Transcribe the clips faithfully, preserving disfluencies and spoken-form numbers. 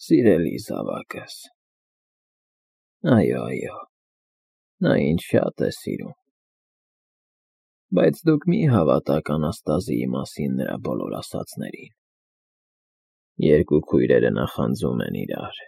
Սիրելի զավակս։ Այո, այո, նա ինձ շատ է սիրում։ Բայց դուք մի հավատաք Անաստազիի մասին նրա բոլոր ասածներին։ Երկու քույրերը նախանձում են իրար։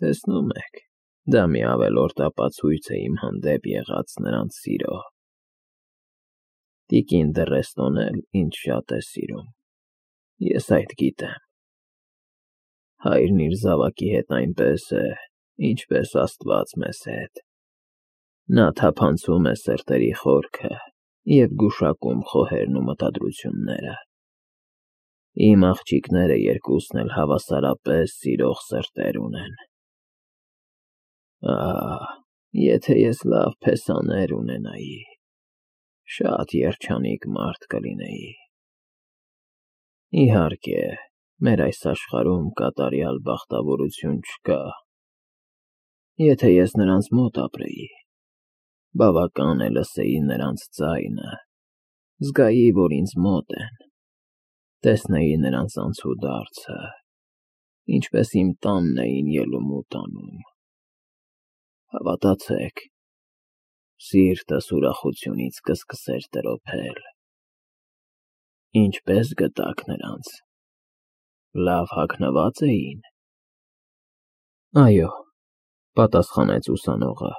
Տեսնում եք, դա մի ավելորդ ապացույց է իմ հանդեպ եղած նրանց սիրո։ Տիկին Դռեստոն էլ ինձ շատ է սիրում, ես այդ գիտեմ։ Հայրն իր զավակի հետ այնպես է, ինչպես Աստված մեզ հետ։ Նա թափանցում է սրտերի խորքը և գուշակում խոհերն ու մտադրությունները։ Իմ աղջիկները երկուսն էլ հավասարապես սիրող սրտեր ունեն։ Ահ, եթե ես լավ փեսաներ ունենայի, շատ երջանիկ մարդ կլինեի։ Իհարկե, մեր այս աշխարհում կատարյալ բախտավորություն չկա։ Եթե ես նրանց մոտ ապրեի, բավական է լսեի նրանց ձայնը, զգայի, որ ինձ մոտ են, տեսնեի նրանց անցուդարձը, ինչպես իմ տանն էին ելում ու տանում։ Հավատացեք, սիրտս ուրախությունից կսկսեր տրոփել։ Ինչպե՞ս գտաք նրանց, լավ հագնվա՞ծ էին։ Այո, պատասխանեց ուսանողը։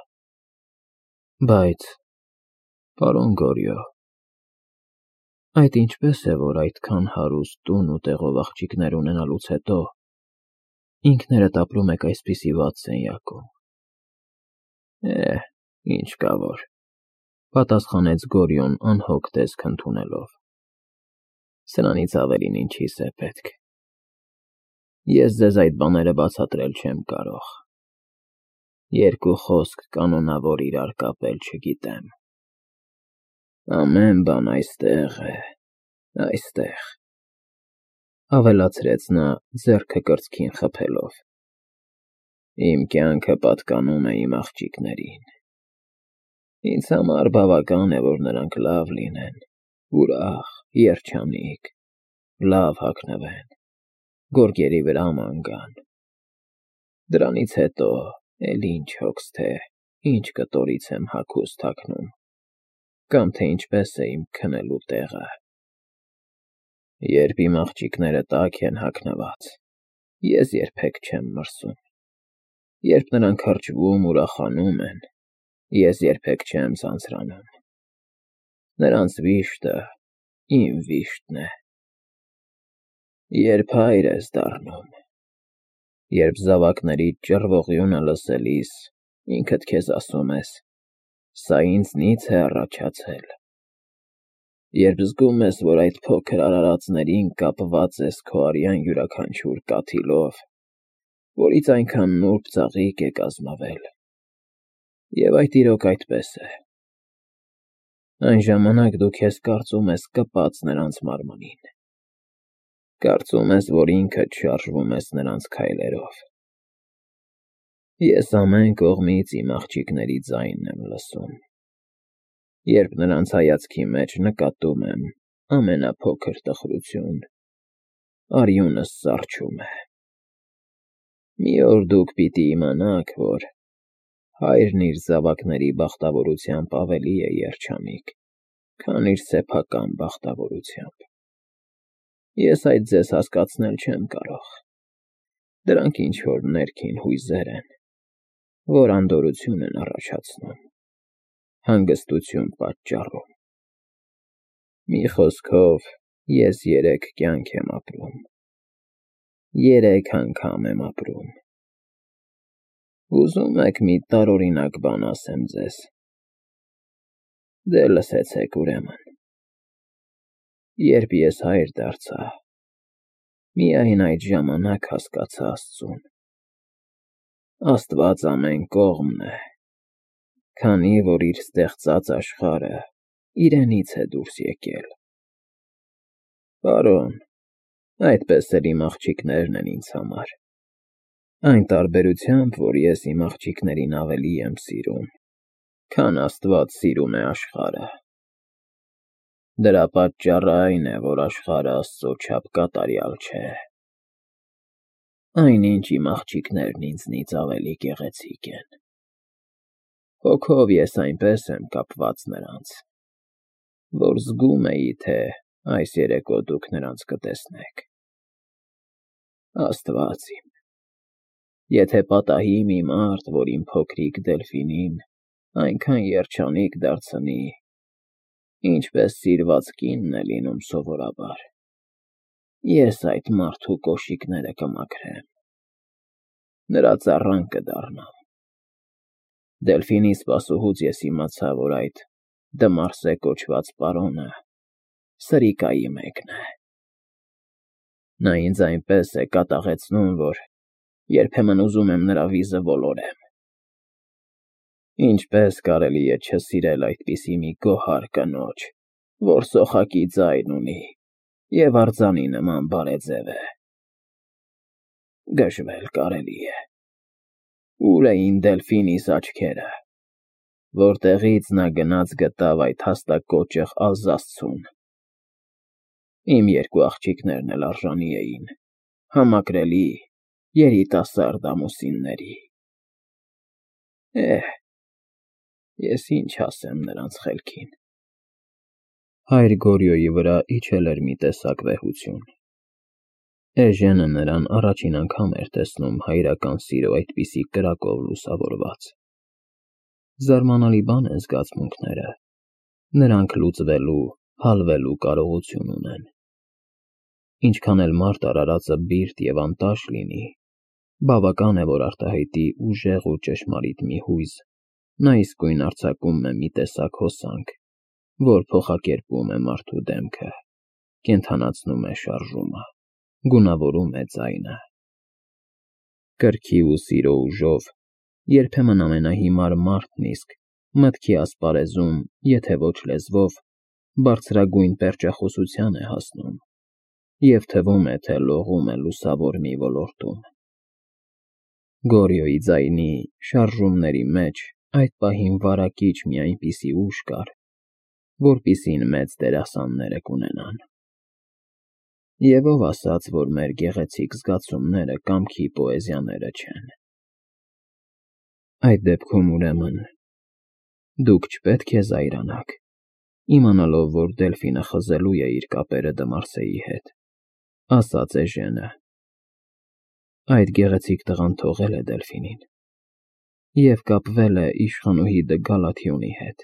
Բայց, պարոն Գորյո, այդ ինչպե՞ս է, որ այդքան հարուստ տուն ու տեղով աղջիկներ ունենալուց հետո ինքներդ ապրում եք այսպիսի վատ սենյակում։ Է, ինչ կա որ, պատասխանեց Գորյոն անհոգ տեսք ընդունելով։ Սրանից ավելին ինչիս է պետք։ Ես ձեզ այդ բաները բացատրել չեմ կարող։ Երկու խոսք կանոնավոր իրար կապել չգիտեմ։ Ամեն բան այստեղ է, այստեղ, ավելացրեց նա ձեռքը կրծքին խփելով։ Իմ կյանքը պատկանում է իմ աղջիկներին։ Ինձ համար բավական է, որ նրանք լավ լինեն, ուրախ, երջանիկ, լավ հագնվեն, գորգերի վրա ման գան։ Դրանից հետո էլ ինչ հոգս թե, ինչ կտորից եմ հագուստ հագնում, կամ թե ինչպես է իմ քնելու տեղը։ Երբ իմ աղջիկները տաք են հագնված, ես երբեք չեմ մրսում։ Երբ նրանք հրճվում, ուրախանում են, ես երբեք չեմ ձանձրանում։ Նրանց վիշտը իմ վիշտն է։ Երբ հայր ես դառնում, երբ զավակներիդ ճռվողյունը լսելիս ինքդ քեզ ասում ես. «Սա ինձնից է առաջացել», երբ զգում ես, որ այդ փոքր արարածներին կապված ես քո արյան յուրաքանչյուր կաթիլով, որից այնքան նուրբ ծաղիկ է կազմվել, և այդ իրոք այդպես է, այն ժամանակ դու քեզ կարծում ես կպած նրանց մարմնին, կարծում ես, որ ինքդ շարժվում ես նրանց քայլերով։ Ես ամեն կողմից իմ աղջիկների ձայնն եմ լսում։ Երբ նրանց հայացքի մեջ նկատում եմ ամենափոքր տխրություն, արյունս սառչում է։ Մի օր դուք պիտի իմանաք, որ հայրն իր զավակների բախտավորությամբ ավելի է երջանիկ, քան իր սեփական բախտավորությամբ։ Ես այդ ձեզ հասկացնել չեմ կարող։ Դրանք ինչ-որ ներքին հույզեր են, որ անդորրություն են առաջացնում, հանգստություն պատճառում։ Մի խոսքով, ես երեք կյանք եմ ապրում, երեք անգամ եմ ապրում։ Ուզում եք մի տարօրինակ բան ասեմ ձեզ։ Դե լսեցեք ուրեմն։ Երբ ես հայր դարձա, միայն այդ ժամանակ հասկացա Աստծուն։ Աստված ամեն կողմն է, քանի որ իր ստեղծած աշխարհը իրենից է դուրս եկել։ Պարոն, այդպես էլ իմ աղջիկներն են ինձ համար, այն տարբերությամբ, որ ես իմ աղջիկներին ավելի եմ սիրում, քան Աստված սիրում է աշխարհը։ Դրա պատճառը այն է, որ աշխարհը Աստծո չափ կատարյալ չէ։ այնինչ իմ աղջիկներն ինձնից ավելի գեղեցիկ են։ Հոգով ես այնպես եմ կապված նրանց, որ զգում էի, թե այս երեկո դուք նրանց կտեսնեք։ Աստված իմ, եթե պատահի մի մարդ, որ իմ փոքրիկ Դելֆինին այնքան երջանիկ դարձնի, ինչպես սիրված կինն է լինում սովորաբար, ես այդ մարդու կոշիկները կմաքրեմ, նրա ծառան կդառնամ։ Դելֆինի սպասուհուց ես իմացա, որ այդ Դմարսե կոչված պարոնը սրիկայի մեկն է։ Նա ինձ այնպես է կատաղեցնում, որ երբեմն ուզում եմ նրա վիզը ոլորեմ։ Ինչպես կարելի է չսիրել այդպիսի մի գոհար կնոջ, որ սոխակի ձայն ունի և արձանի նման բարեձև է։ Գժվել կարելի է։ Ուր էին Դելֆինիս աչքերը, որտեղից նա գնաց գտավ այդ հաստակոճղ Ալզասցուն։ Իմ երկու աղջիկներն էլ արժանի էին համակրելի երիտասարդ ամուսինների։ Էհ, ես ինչ ասեմ նրանց խելքին։ Հայր Գորյոյի վրա իջել էր մի տեսակ վեհություն։ Էժենը նրան առաջին անգամ էր տեսնում հայրական սիրո այդպիսի կրակով լուսավորված։ Զարմանալի բան են զգացմունքները, նրանք լուծվելու, հալվելու կարողություն ունեն։ Ինչքան էլ մարդ արարածը բիրտ և անտաշ լինի, բավական է, որ արտահայտի ուժեղ ու ճշմարիտ մի հույզ, նա իսկույն արձակում է մի տեսակ հոսանք, որ փոխակերպում է մարդու դեմքը, կենդանացնում է շարժումը, գունավորում է ձայնը։ Կրքի ու սիրո ուժով երբեմն ամենահիմար մարդն իսկ մտքի ասպարեզում, եթե ոչ լեզվով, բարձրագույն պերճախոսության է հասնում և թվում է, թե լողում է լուսավոր մի ոլորտում։ Գորյոյի ձայնի շարժումների մեջ այդ պահին վարակիչ մի այնպիսի ուժ կար, որպիսին մեծ դերասանները կունենան։ Եվ ով ասաց, որ մեր գեղեցիկ զգացումները կամքի պոեզիաները չեն։ Այդ դեպքում, ուրեմն, դուք չպետք է զայրանաք, իմանալով, որ Դելֆինը խզելու է իր կապերը Դմարսեի հետ, ասաց էժենը։ Այդ գեղեցիկ տղան թողել է Դելֆինին և կապվել է իշխանուհի Դը Գալաթիոնի հետ,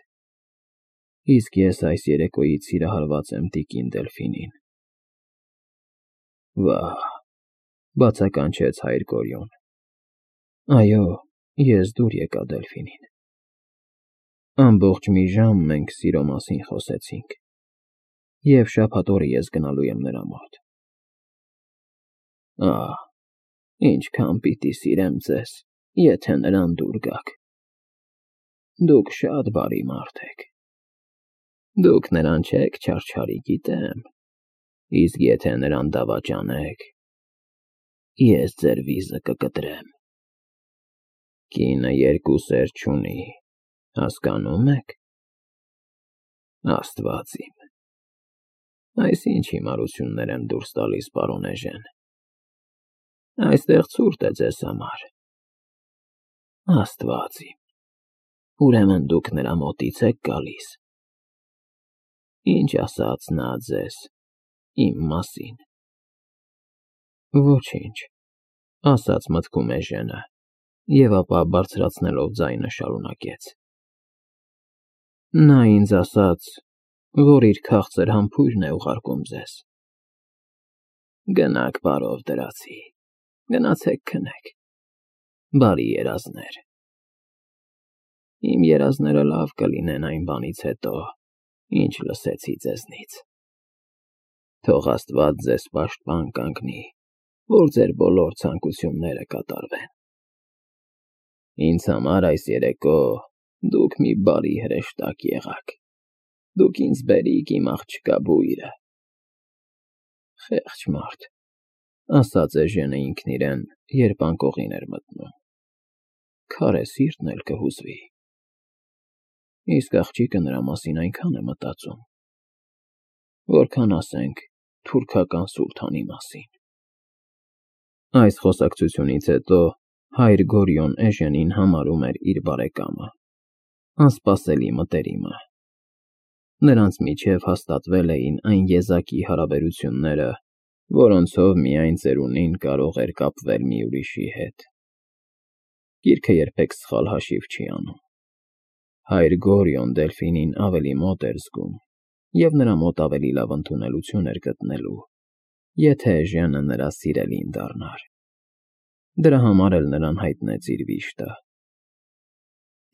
իսկ ես այս երեկոյից սիրահարված եմ տիկին Դելֆինին։ Վա՜հ, բացականչեց հայր Գորյուն։ Այո, ես դուր եկա Դելֆինին։ Ամբողջ մի ժամ մենք սիրո մասին խոսեցինք, և շաբաթ օրը ես գնալու եմ նրա մոտ։ Ահ, ինչքան պիտի սիրեմ ձեզ, եթե նրան դուր գաք։ Դուք շատ բարի մարդ եք։ Դուք նրան չեք չարչարի, գիտեմ, իսկ եթե նրան դավաճանեք, ես ձեր վիզը կկտրեմ։ Կինը երկու սեր չունի, հասկանո՞ւմ եք։ Աստված իմ, այս ինչ հիմարություններ եմ դուրս տալիս, պարոն էժեն։ Այստեղ ցուրտ է ձեզ համար։ Աստված իմ, ուրեմն դուք նրա մոտից եք գալիս։ Ինչ ասաց նա ձեզ իմ մասին։ Ոչինչ, ասաց մտքում էժենը, և ապա բարձրացնելով ձայնը շարունակեց. Նա ինձ ասաց, որ իր քաղցր համբույրն է ուղարկում ձեզ։ Գնաք, պարով դրացի, գնացեք քնեք, բարի երազներ։ Իմ երազները լավ կլինեն այն բանից հետո, ինչ լսեցի ձեզնից։ Թող Աստված ձեզ պաշտպան կանգնի, որ ձեր բոլոր ցանկությունները կատարվեն։ Ինձ համար այս երեկո դուք մի բարի հրեշտակ եղաք։ Դուք ինձ բերիք իմ աղջկա բույրը։ Խեղճ մարդ, ասաց էժենը ինքն իրեն, երբ անկողին էր մտնում։ Քարե սիրտն էլ կհուզվի։ Իսկ աղջիկը նրա մասին այնքան է մտածում, որքան, ասենք, թուրքական սուլթանի մասին։ Այս խոսակցությունից հետո հայր Գորիոն Էժենին համարում էր իր բարեկամը, անսպասելի մտերիմը։ Նրանց միջև հաստատվել էին այն եզակի հարաբերությունները, որոնցով միայն ծերունին կարող էր կապվել մի ուրիշի հետ։ Գիրքը երբեք սխալ հաշիվ չի անում։ Հայր Գորիոն Դելֆինին ավելի մոտ էր զգում, և նրա մոտ ավելի լավ ընդունելություն էր գտնելու, եթե Էժենը նրա սիրելին դառնար։ Դրա համար էլ նրան հայտնեց իր վիշտը։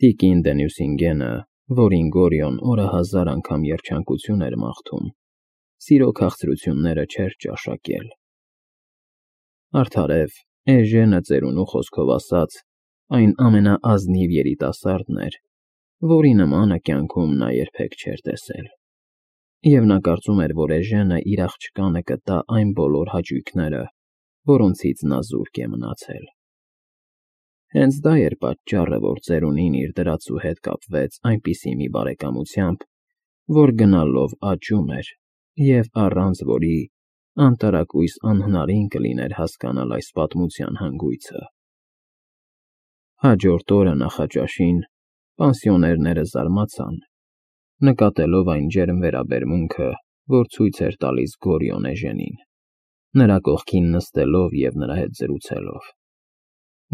Տիկին դե Նյուսինգենը, որին Գորիոն օրահազար անգամ երջանկություն էր մաղթում, սիրո քաղցրությունները չէր ճաշակել։ Արդարև, Էժենը ծերունու խոսքով ասած, այն ամենաազնիվ երիտասարդն էր, որի նմանը կյանքում նա երբեք չէր տեսել։ Եվ նա կարծում էր, որ Էժենը իր աղջկանը կտա այն բոլոր հաճույքները, որոնցից նա զուրկ է մնացել։ Հենց դա էր պատճառը, որ ծերունին իր դրածու հետ կապվեց այնպիսի մի բարեկամությամբ, որ գնալով աճում էր, և առանց որի անտարակույս անհնարին կլիներ հասկանալ այս պատմության հանգույցը։ Հաջորդ օրը նախաճաշին պանսիոներները զարմացան, նկատելով այն ջերմ վերաբերմունքը, որ ցույց էր տալիս Գորիոն Էժենին, նրա կողքին նստելով և նրա հետ զրուցելով։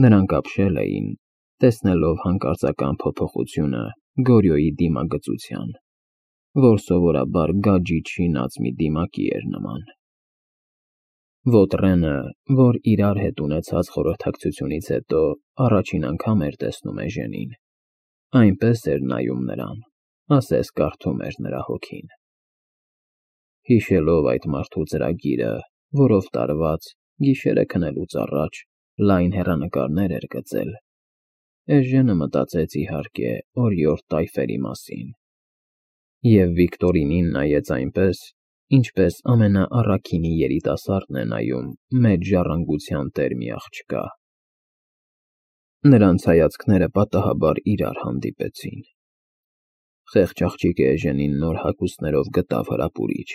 Նրանք ապշել էին, տեսնելով հանկարծական փոփոխությունը Գորիոյի դիմագծության, որ սովորաբար գաջիջ շինած մի դիմակի էր նման։ Ոտրենը, որ իրար հետ ունեցած խորհրդակցությունից հետո առաջին անգամ էր տեսնում Էժենին, այնպես էր նայում նրան, ասես կարդում էր նրա հոգին։ Հիշելով այդ մարդու ծրագիրը, որով տարված, գիշերը քնելուց առաջ լայն հեռանկարներ էր գծել, Էժենը մտածեց իհարկե օրիորդ տայֆերի մասին, և Վիկտորինին նայեց այնպես, ինչպես ամենաառաքինի երիտասարդն է նայում մեծ ժառանգության տեր մի աղջկա։ Նրանց հայացքները պատահաբար իրար հանդիպեցին։ Խեղճ աղջիկը Էժենին նոր հագուստներով գտավ հրապուրիչ։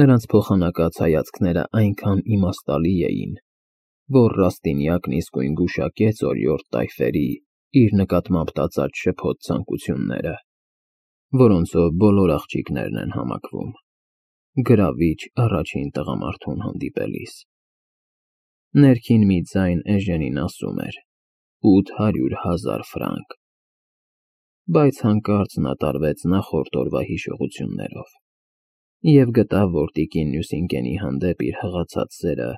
Նրանց փոխանակած հայացքները այնքան իմաստալի էին, որ Ռաստինյակն իսկույն գուշակեց օրիորդ տայֆերի իր նկատմամբ տածած շփոթ ցանկությունները, որոնցով բոլոր աղջիկներն են համակվում, գրավիչ առաջին տղամարդուն հանդիպելիս։ Ներքին մի ձայն Էժենին ասում էր. «ութ հարյուր հազար ֆրանկ», բայց հանկարծ նա տարվեց նախորդ օրվա հիշողություններով և գտավ, որ տիկին Նյուսինգենի հանդեպ իր հղացած սերը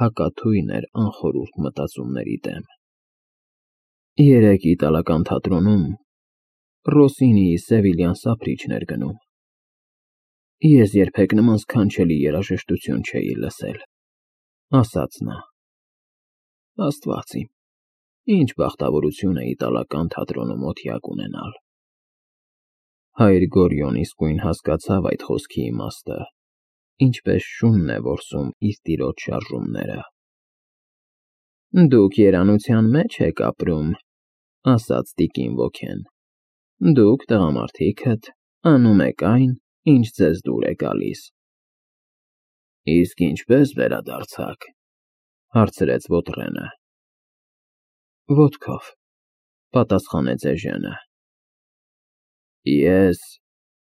հակաթույն էր անխորհուրդ մտածումների դեմ։ Երեկ իտալական թատրոնում Ռոսինիի Սևիլյան Սափրիչն էր գնում։ Ես երբեք նման սքանչելի երաժշտություն չէի լսել, ասաց նա։ Աստված իմ, ինչ բախտավորություն է իտալական թատրոնում օթյակ ունենալ։ Հայր Գորիոն իսկույն հասկացավ այդ խոսքի իմաստը, ինչպես շունն է որսում իր տիրոջ շարժումները։ Դուք երանության մեջ եք ապրում, ասաց տիկին ոգեն։ Դուք, տղամարդիքդ, անում եք այն, ինչ ձեզ դուր է գալիս։ Իսկ ինչպե՞ս վերադարձաք, հարցրեց Ոտրենը։ Ոտքով, պատասխանեց Էժենը։ Ես,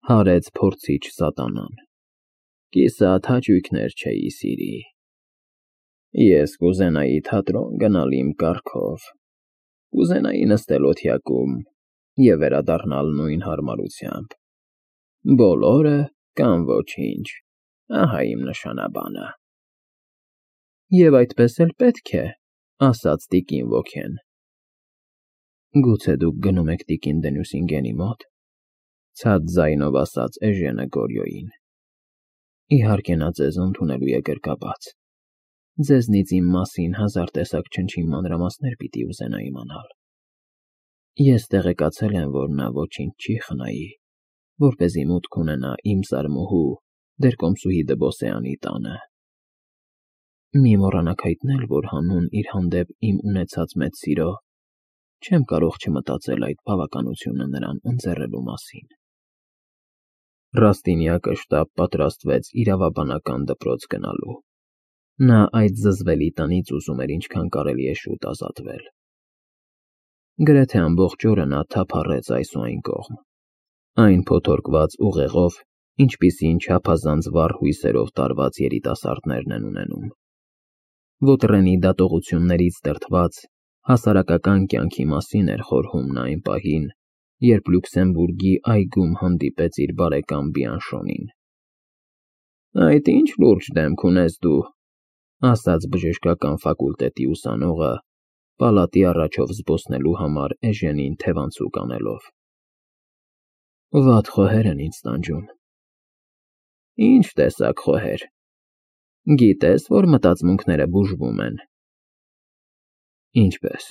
հարեց փորձիչ սատանան, կիսատ հաճույքներ չէի սիրի։ Ես կուզենայի թատրոն գնալ իմ կառքով, կուզենայի նստել օթյակում և վերադառնալ նույն հարմարությամբ։ Բոլորը կամ ոչինչ, ահա իմ նշանաբանը։ Եվ այդպես էլ պետք է, ասաց տիկին ոգեն։ Գուցե դուք գնում եք տիկին դե Նյուսինգենի մոտ, ցած ձայնով ասաց Էժենը Գորիոյին։ Իհարկե նա ձեզ ընդունելու է գրկաբաց։ Ձեզնից իմ մասին հազար տեսակ չնչին մանրամասներ պիտի ուզենա իմանալ։ Ես տեղեկացել եմ, որ նա ոչինչ չի խնայի, որպեսզի մուտք ունենա իմ զարմուհու Դերկոմսուհի Դբոսեանի տանը։ Մի մոռանաք հայտնել, որ հանուն իր հանդեպ իմ ունեցած մեծ սիրո չեմ կարող չմտածել այդ բավականությունը նրան ընձեռելու մասին։ Ռաստինյակը շտապ պատրաստվեց իրավաբանական դպրոց գնալու։ Նա այդ զզվելի տնից ուզում էր ինչքան կարելի է շուտ ազատվել։ Գրեթե ամբողջ օրը նա թափառեց այս ու այն կողմ, այն փոթորկված ուղեղով, ինչպիսին չափազանց վառ հույսերով տարված երիտասարդներն են ունենում։ Ոտրենի դատողություններից դրդված հասարակական կյանքի մասին էր խորհում նա այն պահին, երբ Լյուքսեմբուրգի այգում հանդիպեց իր բարեկամ Բիանշոնին։ «Այդ ինչ լուրջ դեմք ունես դու», ասաց բժշկական ֆակուլտետի ուսանողը, պալատի առաջով զբոսնելու համար Էժենին թևանցուկ անելով։ «Վատ խոհեր են ինձ տանջում»։ «Ինչ տեսակ խոհեր։ Գիտես, որ մտածմունքները բուժվում են»։ «Ինչպես»։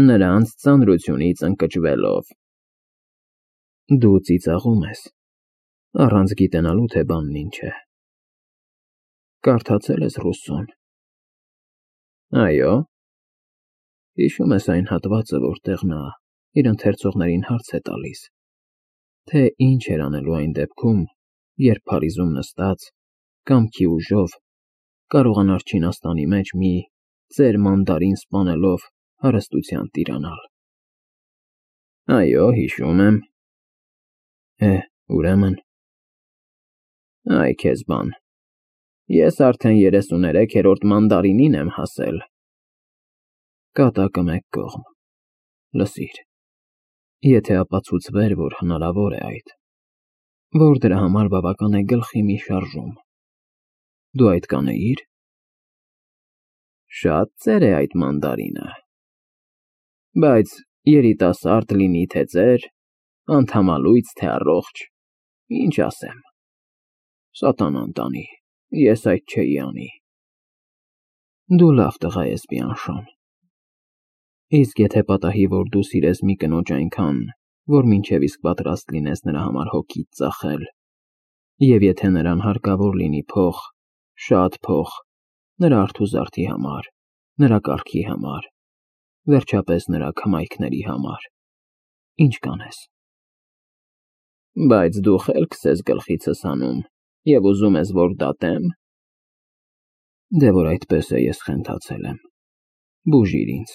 «Նրանց ծանրությունից ընկճվելով»։ «Դու ծիծաղում ես, առանց գիտենալու, թե բանն ինչ է։ Կարդացե՞լ ես Ռուսսոն»։ «Այո»։ «Հիշո՞ւմ ես այն հատվածը, որտեղ նա իր ընթերցողներին հարց է տալիս, թե ինչ էր անելու այն դեպքում, երբ Փարիզում նստած, կամքի ուժով, կարողանար Չինաստանի մեջ մի ծեր մանդարին սպանելով հարստության տիրանալ»։ «Այո, հիշում եմ»։ «Է, ուրեմն»։ «Այ քեզ բան, ես արդեն երեսուներեքերորդ մանդարինին եմ հասել»։ «Կատակը մեկ կողմ։ Լսիր, եթե ապացուցվեր, որ հնարավոր է այդ, որ դրա համար բավական է գլխի մի շարժում, դու այդ կանեի՞ր»։ «Շատ ծեր է այդ մանդարինը, բայց երիտասարդ լինի թե ծեր, անդամալույծ թե առողջ, ինչ ասեմ, սատանան տանի, ես այդ չէի անի»։ «Դու լավ տղա ես, Բիանշոն, իսկ եթե պատահի, որ դու սիրես մի կնոջ այնքան, որ մինչև իսկ պատրաստ լինես նրա համար հոգիդ ծախել, և եթե նրան հարկավոր լինի փող, շատ փող, նրա արթուզարդի համար, նրա կառքի համար, վերջապես նրա քմայքների համար, ի՞նչ կանես»։ «Բայց դու խելքս ես գլխիցս հանում և ուզում ես, որ դատե՞մ»։ «Դե որ այդպես է, ես խենթացել եմ, բուժիր ինձ»։